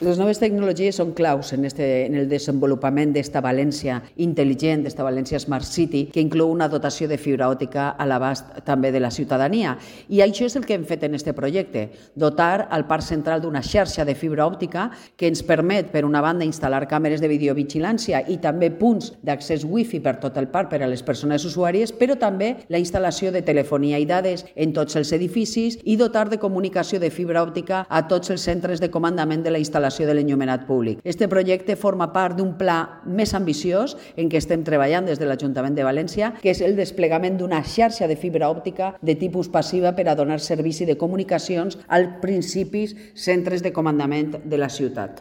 Les noves tecnologies són claus en el desenvolupament d'esta València intel·ligent, d'esta València Smart City, que inclou una dotació de fibra òptica a l'abast també de la ciutadania. I això és el que hem fet en este projecte, dotar al parc central d'una xarxa de fibra òptica que ens permet, per una banda, instal·lar càmeres de videovigilància i també punts d'accés wifi per tot el parc per a les persones usuàries, però també la instal·lació de telefonia i dades en tots els edificis i dotar de comunicació de fibra òptica a tots els centres de comandament de la instal·lació de l'enllumenat públic. Este projecte forma part d'un pla més ambiciós en què estem treballant des de l'Ajuntament de València, que és el desplegament d'una xarxa de fibra òptica de tipus passiva per a donar servici de comunicacions als principis centres de comandament de la ciutat.